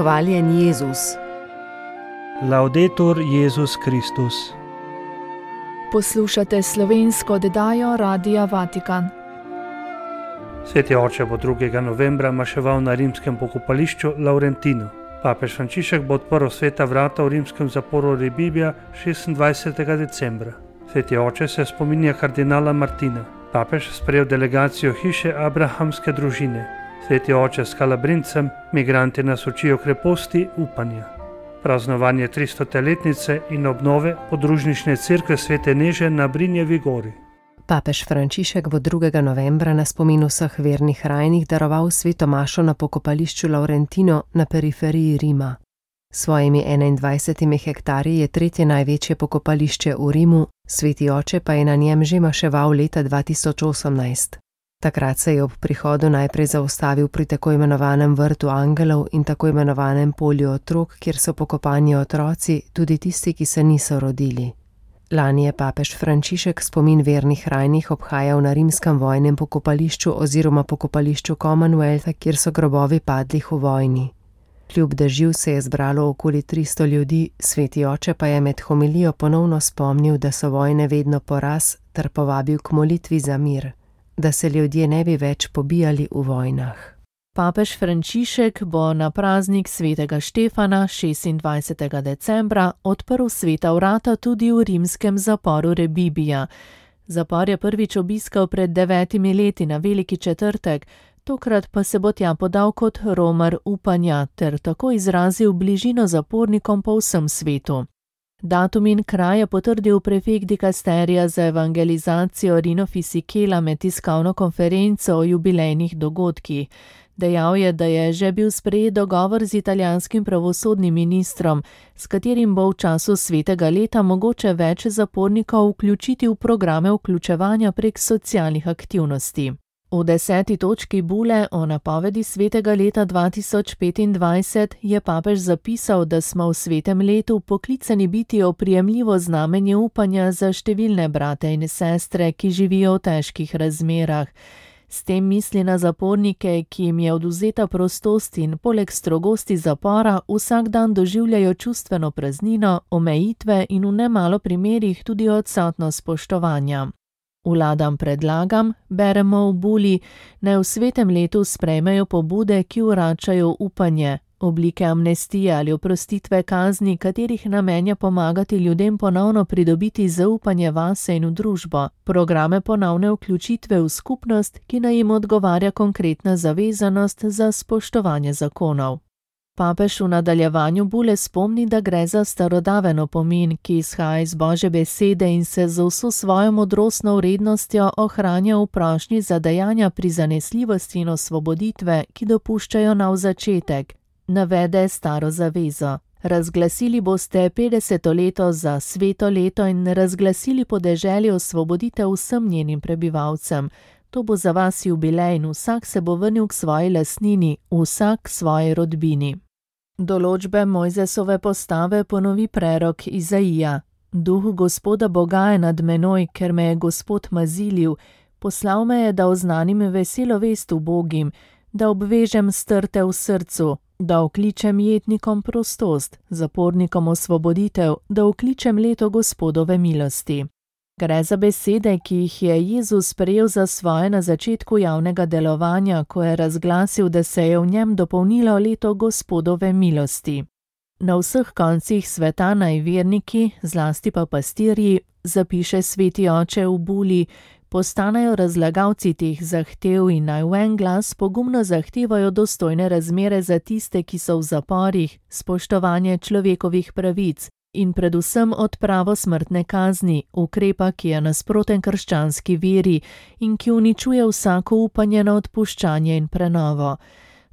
Hvaljen Jezus. Laudetur Jezus Kristus. Poslušate slovensko oddajo Radia Vatikan. Sveti oče bo 2. novembra maševal na rimskem pokopališču Laurentino. Papež Frančišek bo odprl sveta vrata v rimskem zaporu Rebibbia 26. decembra. Sveti oče se spominja kardinala Martina. Papež sprejel delegacijo hiše abrahamske družine. Sveti oče s Kalabrincem, migranti nas učijo kreposti upanja. Praznovanje 300-letnice in obnove podružnične cerkve Svete Neže na Brinjevi gori. Papež Frančišek bo 2. novembra na spomin vseh vernih rajnih daroval sveto mašo na pokopališču Laurentino na periferiji Rima. S svojimi 21 hektarji je tretje največje pokopališče v Rimu, sveti oče pa je na njem že maševal leta 2018. Takrat se je ob prihodu najprej zaustavil pri tako imenovanem vrtu angelov in tako imenovanem polju otrok, kjer so pokopani otroci, tudi tisti, ki se niso rodili. Lani je papež Frančišek spomin vernih rajnih obhajal na rimskem vojnem pokopališču oziroma pokopališču Commonwealtha, kjer so grobovi padlih v vojni. Kljub dežju se je zbralo okoli 300 ljudi, sveti oče pa je med homilijo ponovno spomnil, da so vojne vedno poraz, ter povabil k molitvi za mir, da se ljudje ne bi več pobijali v vojnah. Papež Frančišek bo na praznik svetega Štefana 26. decembra odprl sveta vrata tudi v rimskem zaporu Rebibbia. Zapor je prvič obiskal pred 9 leti na Veliki četrtek, tokrat pa se bo tja podal kot romar upanja ter tako izrazil bližino zapornikom po vsem svetu. Datum in kraj je potrdil prefekt dikasterija za evangelizacijo Rino Fisichella med tiskovno konferenco o jubilejnih dogodkih. Dejal je, da je že bil sprejet dogovor z italijanskim pravosodnim ministrom, s katerim bo v času svetega leta mogoče več zapornikov vključiti v programe vključevanja prek socialnih aktivnosti. V 10. točki bule o napovedi svetega leta 2025 je papež zapisal, da smo v svetem letu poklicani biti oprijemljivo znamenje upanja za številne brate in sestre, ki živijo v težkih razmerah. S tem misli na zapornike, ki jim je odvzeta prostost in poleg strogosti zapora vsak dan doživljajo čustveno praznino, omejitve in v nemalo primerih tudi odsotnost spoštovanja. Vladam predlagam, beremo v buli, naj v svetem letu sprejmejo pobude, ki vračajo upanje, oblike amnestije ali oprostitve kazni, katerih namen je pomagati ljudem ponovno pridobiti zaupanje vase in v družbo, programe ponovne vključitve v skupnost, ki naj jim odgovarja konkretna zavezanost za spoštovanje zakonov. Papež v nadaljevanju bule spomni, da gre za starodaven opomin, ki izhaja iz Božje besede in se z vso svojo modrostno vrednostjo ohranja v prošnji za dejanja prizanesljivosti in osvoboditve, ki dopuščajo nov začetek. Navede staro zavezo. Razglasili boste 50. leto za sveto leto in razglasili podeželje osvoboditev vsem njenim prebivalcem. To bo za vas jubilej in vsak se bo vrnil k svoji lastnini, vsak svoji rodbini. Določbe Mojzesove postave ponovi prerok Izaija. Duh Gospoda Boga je nad menoj, ker me je Gospod mazilil. Poslal me je, da oznanim veselo vest ubogim, da obvežem strte v srcu, da okličem jetnikom prostost, zapornikom osvoboditev, da okličem leto Gospodove milosti. Gre za besede, ki jih je Jezus prejel za svoje na začetku javnega delovanja, ko je razglasil, da se je v njem dopolnilo leto Gospodove milosti. Na vseh koncih sveta naj verniki, zlasti pa pastirji, zapiše sveti oče v buli, postanejo razlagalci teh zahtev in naj v en glas pogumno zahtevajo dostojne razmere za tiste, ki so v zaporih, spoštovanje človekovih pravic, in predvsem odpravo smrtne kazni, ukrepa, ki je nasproten krščanski veri in ki uničuje vsako upanje na odpuščanje in prenovo.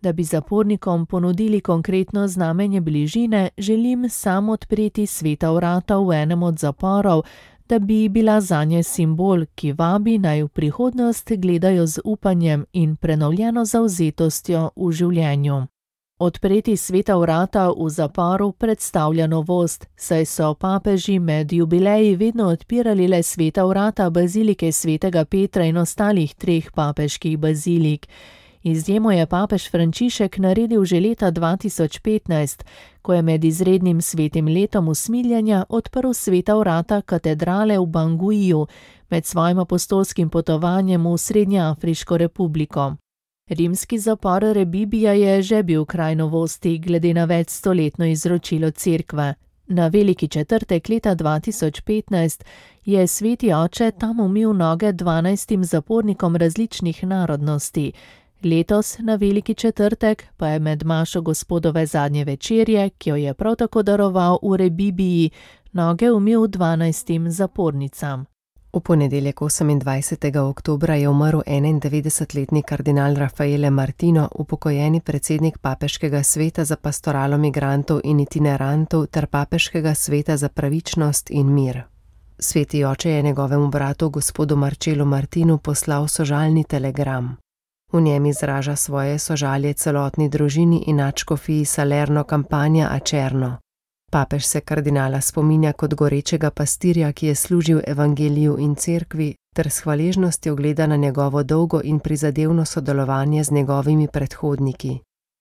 Da bi zapornikom ponudili konkretno znamenje bližine, želim sam odpreti sveta vrata v enem od zaporov, da bi bila zanje simbol, ki vabi naj v prihodnost gledajo z upanjem in prenovljeno zavzetostjo v življenju. Odpreti sveta vrata v zaporu predstavlja novost, saj so papeži med jubileji vedno odpirali le sveta vrata bazilike svetega Petra in ostalih 3 papeških bazilik. Izjemo je papež Frančišek naredil že leta 2015, ko je med izrednim svetim letom usmiljenja odprl sveta vrata katedrale v Banguiju med svojim apostolskim potovanjem v Srednjeafriško republiko. Rimski zapor Rebibija je že bil kraj novosti glede na večstoletno izročilo cerkve. Na veliki četrtek leta 2015 je sveti oče tam umil noge 12 zapornikom različnih narodnosti. Letos na veliki četrtek pa je med mašo Gospodove zadnje večerje, ki jo je prav tako daroval v Rebibiji, noge umil 12 zapornicam. V ponedeljek 28. oktobra je umrl 91-letni kardinal Raffaele Martino, upokojeni predsednik Papeškega sveta za pastoralo migrantov in itinerantov ter Papeškega sveta za pravičnost in mir. Sveti oče je njegovemu bratu gospodu Marcelu Martinu poslal sožalni telegram. V njem izraža svoje sožalje celotni družini in nadškofiji Salerno Campania Acerno. Papež se kardinala spominja kot gorečega pastirja, ki je služil evangeliju in cerkvi, ter s hvaležnostjo gleda na njegovo dolgo in prizadevno sodelovanje z njegovimi predhodniki.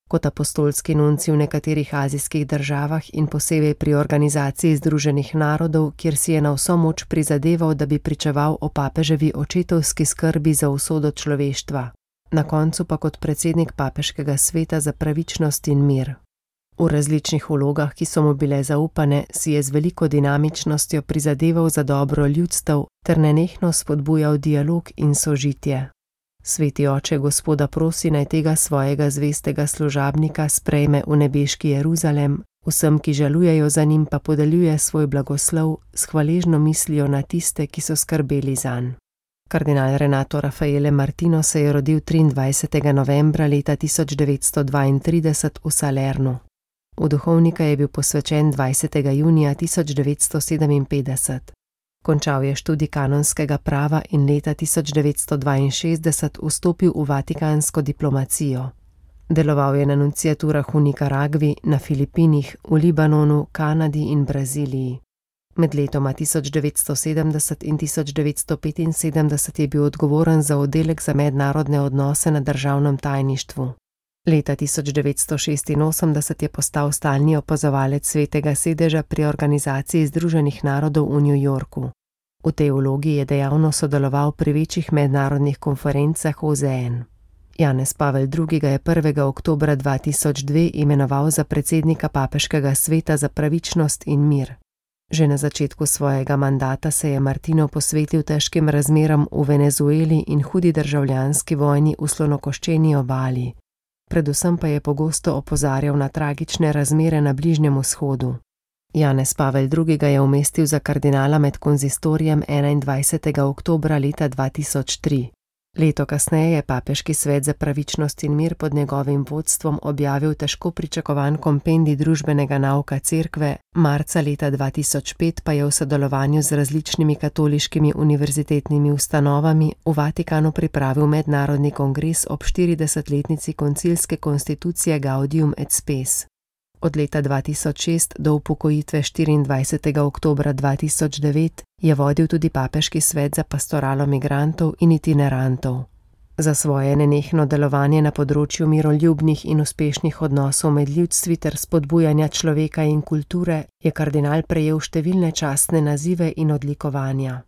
Kot apostolski nunci v nekaterih azijskih državah in posebej pri organizaciji Združenih narodov, kjer si je na vso moč prizadeval, da bi pričeval o papeževi očetovski skrbi za usodo človeštva. Na koncu pa kot predsednik Papeškega sveta za pravičnost in mir. V različnih vlogah, ki so mu bile zaupane, si je z veliko dinamičnostjo prizadeval za dobro ljudstev ter nenehno spodbujal dialog in sožitje. Sveti oče Gospoda prosi, naj tega svojega zvestega služabnika sprejme v nebeški Jeruzalem, vsem, ki žalujejo za njim, pa podeljuje svoj blagoslov s hvaležno mislijo na tiste, ki so skrbeli zanj. Kardinal Renato Raffaele Martino se je rodil 23. novembra leta 1932 v Salernu. V duhovnika je bil posvečen 20. junija 1957. Končal je študij kanonskega prava in leta 1962 vstopil v vatikansko diplomacijo. Deloval je na nunciaturah v Nikaragvi, na Filipinih, v Libanonu, Kanadi in Braziliji. Med letoma 1970 in 1975 je bil odgovoren za oddelek za mednarodne odnose na državnem tajništvu. Leta 1986 je postal stalni opazovalec Svetega sedeža pri Organizaciji Združenih narodov v New Yorku. V tej vlogi je dejavno sodeloval pri večjih mednarodnih konferencah OZN. Janez Pavel II. Ga je 1. oktobra 2002 imenoval za predsednika Papeškega sveta za pravičnost in mir. Že na začetku svojega mandata se je Martino posvetil težkim razmeram v Venezueli in hudi državljanski vojni v Slonokoščeni obali. Predvsem pa je pogosto opozarjal na tragične razmere na Bližnjem vzhodu. Janez Pavel II. Ga je umestil za kardinala med konzistorijem 21. oktobra leta 2003. Leto kasneje je Papeški svet za pravičnost in mir pod njegovim vodstvom objavil težko pričakovan kompendij družbenega nauka cerkve, marca leta 2005 pa je v sodelovanju z različnimi katoliškimi univerzitetnimi ustanovami v Vatikanu pripravil mednarodni kongres ob 40-letnici koncilske konstitucije Gaudium et Spes. Od leta 2006 do upokojitve 24. oktobra 2009 je vodil tudi Papeški svet za pastoralo migrantov in itinerantov. Za svoje nenehno delovanje na področju miroljubnih in uspešnih odnosov med ljudstvi ter spodbujanja človeka in kulture je kardinal prejel številne častne nazive in odlikovanja.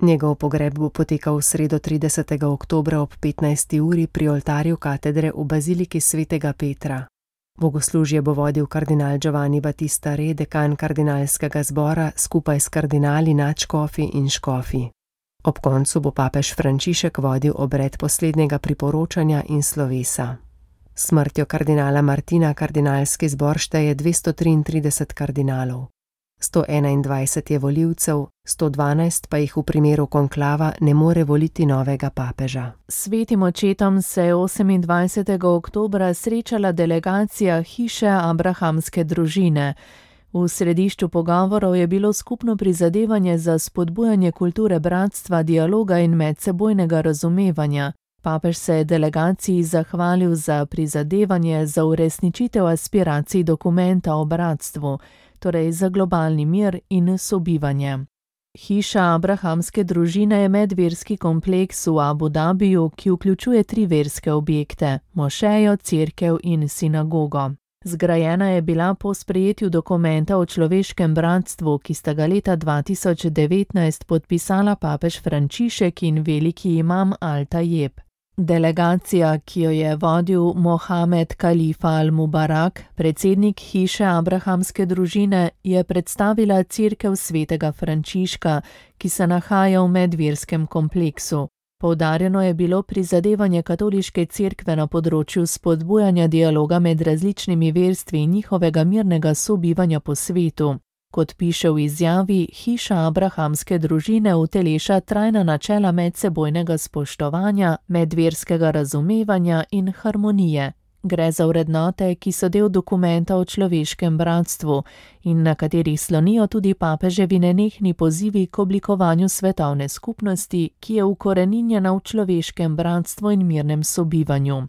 Njegov pogreb bo potekal v sredo 30. oktobra ob 15. uri pri oltarju katedre v baziliki svetega Petra. Bogoslužje bo vodil kardinal Giovanni Battista Re, dekan kardinalskega zbora, skupaj s kardinali, nadškofi in škofi. Ob koncu bo papež Frančišek vodil obred poslednjega priporočanja in slovesa. S smrtjo kardinala Martina kardinalski zbor šteje 233 kardinalov. 121 je volivcev, 112 pa jih v primeru konklava ne more voliti novega papeža. Svetim očetom se je 28. oktobra srečala delegacija hiše abrahamske družine. V središču pogovorov je bilo skupno prizadevanje za spodbujanje kulture bratstva, dialoga in medsebojnega razumevanja. Papež se je delegaciji zahvalil za prizadevanje za uresničitev aspiracij dokumenta o bratstvu, torej za globalni mir in sobivanje. Hiša abrahamske družine je medverski kompleks v Abu Dabiju, ki vključuje 3 verske objekte: mošejo, cerkev in sinagogo. Zgrajena je bila po sprejetju dokumenta o človeškem bratstvu, ki sta ga leta 2019 podpisala papež Frančišek in veliki imam Al-Tajeb. Delegacija, ki jo je vodil Mohamed Kalifa al-Mubarak, predsednik hiše abrahamske družine, je predstavila cerkev svetega Frančiška, ki se nahaja v medverskem kompleksu. Poudarjeno je bilo prizadevanje katoliške cerkve na področju spodbujanja dialoga med različnimi verstvi in njihovega mirnega sobivanja po svetu. Kot piše v izjavi, hiša abrahamske družine uteleša trajna načela medsebojnega spoštovanja, medverskega razumevanja in harmonije. Gre za vrednote, ki so del dokumenta o človeškem bratstvu in na katerih slonijo tudi papeževi nenehni pozivi k oblikovanju svetovne skupnosti, ki je ukoreninjena v človeškem bratstvu in mirnem sobivanju.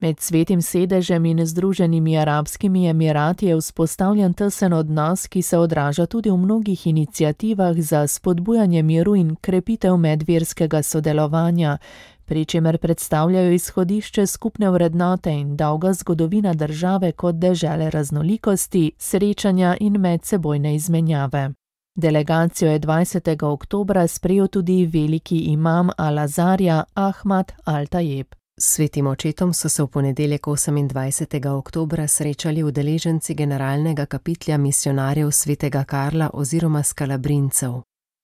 Med Svetim sedežem in Združenimi arabskimi emirati je vzpostavljen tesen odnos, ki se odraža tudi v mnogih iniciativah za spodbujanje miru in krepitev medverskega sodelovanja, pri čemer predstavljajo izhodišče skupne vrednote in dolga zgodovina države kot dežele raznolikosti, srečanja in medsebojne izmenjave. Delegacijo je 20. oktobra sprejel tudi veliki imam Al-Azarja Ahmad Al-Tajeb. S svetim očetom so se v ponedeljek 28. oktobra srečali udeleženci generalnega kapitlja misionarjev svetega Karla oziroma Skalabrincev.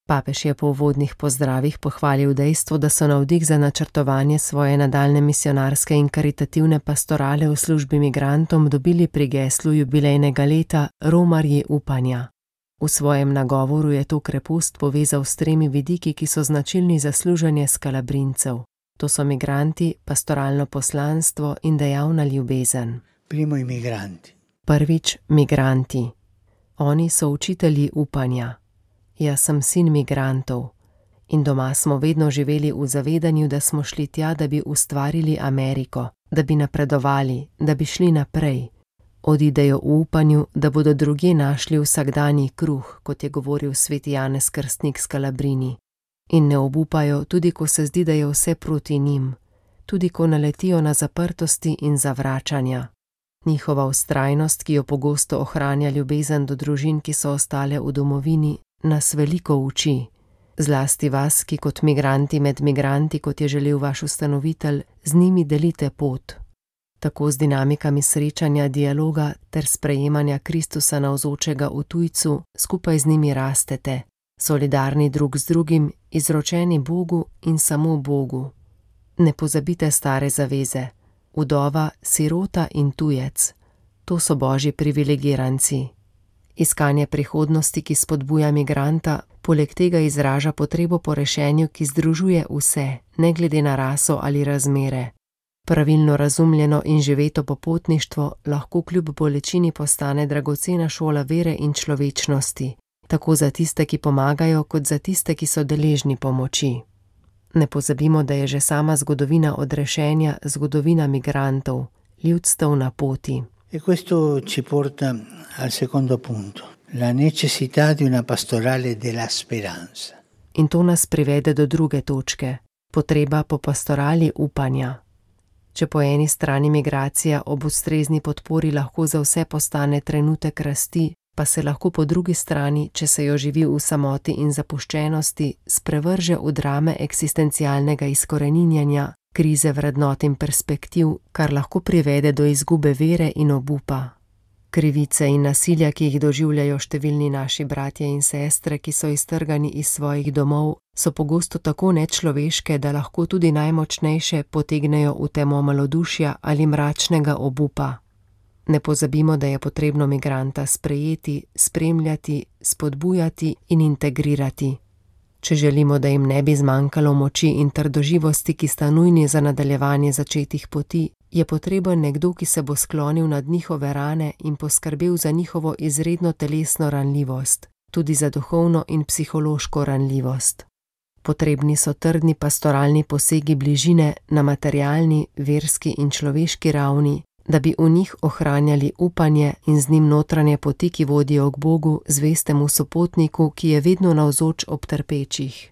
Papež je po uvodnih pozdravih pohvalil dejstvo, da so navdih za načrtovanje svoje nadaljne misionarske in karitativne pastorale v službi migrantom dobili pri geslu jubilejnega leta Romarji upanja. V svojem nagovoru je to krepost povezal s 3 vidiki, ki so značilni za služenje Skalabrincev. To so migranti, pastoralno poslanstvo in dejavna ljubezen. Prvič, migranti. Oni so učitelji upanja. Jaz sem sin migrantov. In doma smo vedno živeli v zavedanju, da smo šli tja, da bi ustvarili Ameriko, da bi napredovali, da bi šli naprej. Odidejo v upanju, da bodo drugje našli vsakdanji kruh, kot je govoril sveti Janez Krstnik Skalabrini. In ne obupajo, tudi ko se zdi, da je vse proti njim, tudi ko naletijo na zaprtosti in zavračanja. Njihova vztrajnost, ki jo pogosto ohranja ljubezen do družin, ki so ostale v domovini, nas veliko uči. Zlasti vas, ki kot migranti med migranti, kot je želel vaš ustanovitelj, z njimi delite pot. Tako z dinamikami srečanja, dialoga ter sprejemanja Kristusa navzočega v tujcu, skupaj z njimi rastete. Solidarni drug z drugim, izročeni Bogu in samo Bogu. Ne pozabite stare zaveze. Vdova, sirota in tujec. To so božji privilegiranci. Iskanje prihodnosti, ki spodbuja migranta, poleg tega izraža potrebo po rešenju, ki združuje vse, ne glede na raso ali razmere. Pravilno razumljeno in živeto popotništvo lahko kljub bolečini postane dragocena šola vere in človečnosti. Tako za tiste, ki pomagajo, kot za tiste, ki so deležni pomoči. Ne pozabimo, da je že sama zgodovina odrešenja zgodovina migrantov, ljudstev na poti. E questo ci porta al secondo punto, la necessità di una pastorale della speranza. In to nas privede do druge točke, potreba po pastorali upanja. Če po eni strani migracija ob ustrezni podpori lahko za vse postane trenutek rasti, pa se lahko po drugi strani, če se jo živi v samoti in zapuščenosti, sprevrže v drame eksistencialnega izkoreninjanja, krize vrednot in perspektiv, kar lahko privede do izgube vere in obupa. Krivice in nasilja, ki jih doživljajo številni naši bratje in sestre, ki so iztrgani iz svojih domov, so pogosto tako nečloveške, da lahko tudi najmočnejše potegnejo v temo malodušja ali mračnega obupa. Ne pozabimo, da je potrebno migranta sprejeti, spremljati, spodbujati in integrirati. Če želimo, da jim ne bi zmanjkalo moči in trdoživosti, ki sta nujni za nadaljevanje začetih poti, je potreben nekdo, ki se bo sklonil nad njihove rane in poskrbel za njihovo izredno telesno ranljivost, tudi za duhovno in psihološko ranljivost. Potrebni so trdni pastoralni posegi bližine na materialni, verski in človeški ravni, da bi v njih ohranjali upanje in z njim notranje poti, ki vodijo k Bogu, zvestemu sopotniku, ki je vedno navzoč ob trpečih.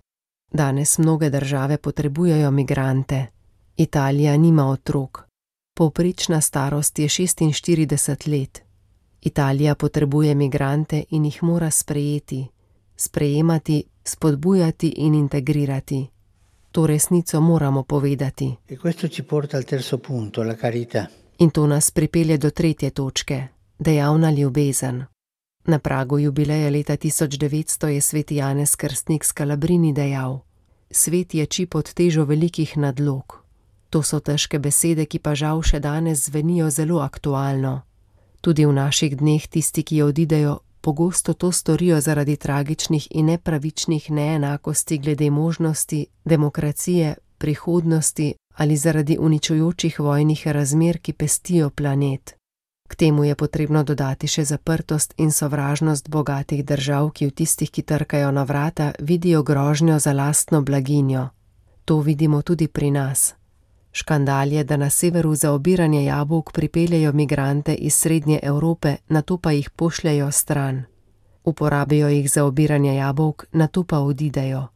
Danes mnoge države potrebujejo migrante. Italija nima otrok. Povprečna starost je 46 let. Italija potrebuje migrante in jih mora sprejeti, sprejemati, spodbujati in integrirati. To resnico moramo povedati. E questo ci porta al terzo punto, la carità. In to nas pripelje do tretje točke, dejavna ljubezen. Na pragu jubileja leta 1900 je sveti Janez Krstnik Scalabrini dejal: Svet ječi pod težo velikih nadlog. To so težke besede, ki pa žal še danes zvenijo zelo aktualno. Tudi v naših dneh tisti, ki odidejo, pogosto to storijo zaradi tragičnih in nepravičnih neenakosti glede možnosti, demokracije, prihodnosti ali zaradi uničujočih vojnih razmer, ki pestijo planet. K temu je potrebno dodati še zaprtost in sovražnost bogatih držav, ki v tistih, ki trkajo na vrata, vidijo grožnjo za lastno blaginjo. To vidimo tudi pri nas. Škandal je, da na severu za obiranje jabolk pripeljejo migrante iz Srednje Evrope, nato pa jih pošljajo stran. Uporabijo jih za obiranje jabolk, nato pa odidejo.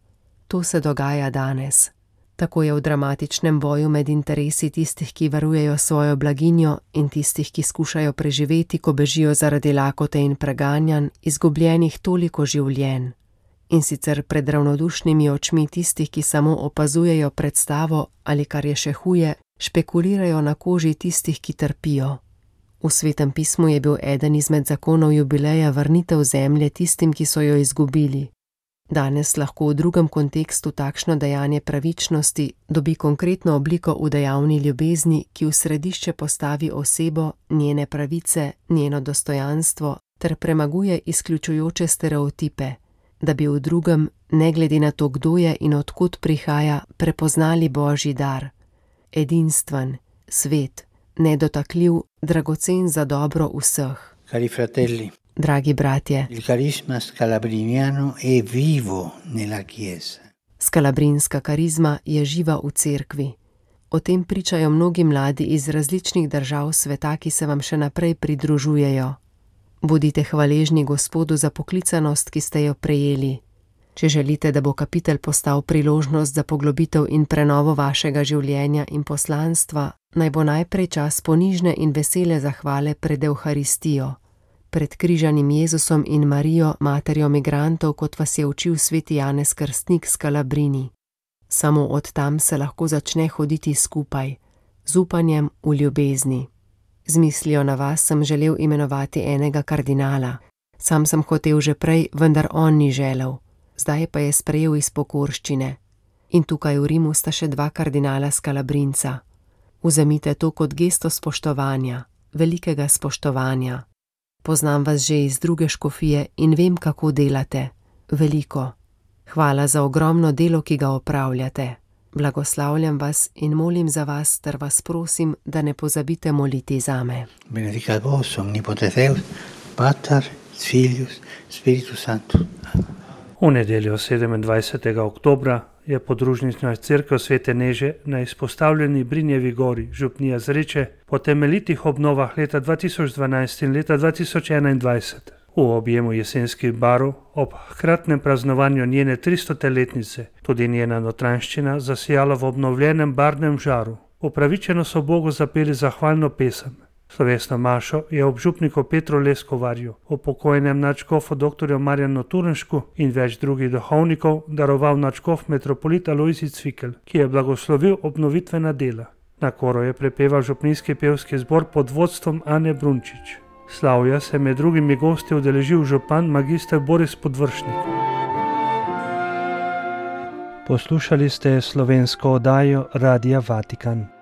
To se dogaja danes. Tako je v dramatičnem boju med interesi tistih, ki varujejo svojo blaginjo, in tistih, ki skušajo preživeti, ko bežijo zaradi lakote in preganjanj, izgubljenih toliko življenj. In sicer pred ravnodušnimi očmi tistih, ki samo opazujejo predstavo ali, kar je še huje, špekulirajo na koži tistih, ki trpijo. V Svetem pismu je bil eden izmed zakonov jubileja vrnitev zemlje tistim, ki so jo izgubili. Danes lahko v drugem kontekstu takšno dejanje pravičnosti dobi konkretno obliko v dejavni ljubezni, ki v središče postavi osebo, njene pravice, njeno dostojanstvo ter premaguje izključujoče stereotipe, da bi v drugem, ne glede na to, kdo je in od kod prihaja, prepoznali Božji dar. Edinstven, svet, nedotakljiv, dragocen za dobro vseh. Cari fratelli, dragi bratje, il carisma scalabriniano è vivo nella Chiesa. Scalabrinska karizma je živa v cerkvi. O tem pričajo mnogi mladi iz različnih držav sveta, ki se vam še naprej pridružujejo. Bodite hvaležni Gospodu za poklicanost, ki ste jo prejeli. Če želite, da bo kapitel postal priložnost za poglobitev in prenovo vašega življenja in poslanstva, naj bo najprej čas ponižne in vesele zahvale pred Evharistijo, pred križanim Jezusom in Marijo, materjo migrantov, kot vas je učil sveti Janez Krstnik Scalabrini. Samo od tam se lahko začne hoditi skupaj, z upanjem v ljubezni. Z mislijo na vas sem želel imenovati enega kardinala. Sam sem hotel že prej, vendar on ni želel. Zdaj pa je sprejel iz pokorščine. In tukaj v Rimu sta še dva kardinala Scalabrinca. Vzemite to kot gesto spoštovanja, velikega spoštovanja. Poznam vas že iz druge škofije in vem, kako delate. Veliko. Hvala za ogromno delo, ki ga opravljate. Blagoslavljam vas in molim za vas, ter vas prosim, da ne pozabite moliti zame. Benedicat vos omnipotens Deus, Pater, Filius, Spiritus Sanctus. V nedeljo 27. oktobra je podružnična cerkev Svete Neže na izpostavljeni Brinjevi gori, župnija Zreče, po temeljitih obnovah leta 2012 in leta 2021 v objemu jesenskih barov ob hkratnem praznovanju njene 300-letnice tudi njena notranjščina zasijala v obnovljenem barvnem žaru. Upravičeno so Bogu zapeli zahvalno pesem. Slovesno mašo je ob župniku Petru Leskovarju, upokojenem nadškofu dr. Marjanu Turnšku in več drugih duhovnikov daroval nadškof metropolit Alojzij Cvikl, ki je blagoslovil obnovitvena dela. Na koru je prepeval župnijski pevski zbor pod vodstvom Ane Brunčič. Slavja se med drugimi gosti udeležil župan magister Boris Podvršnik. Poslušali ste slovensko oddajo Radia Vatikan.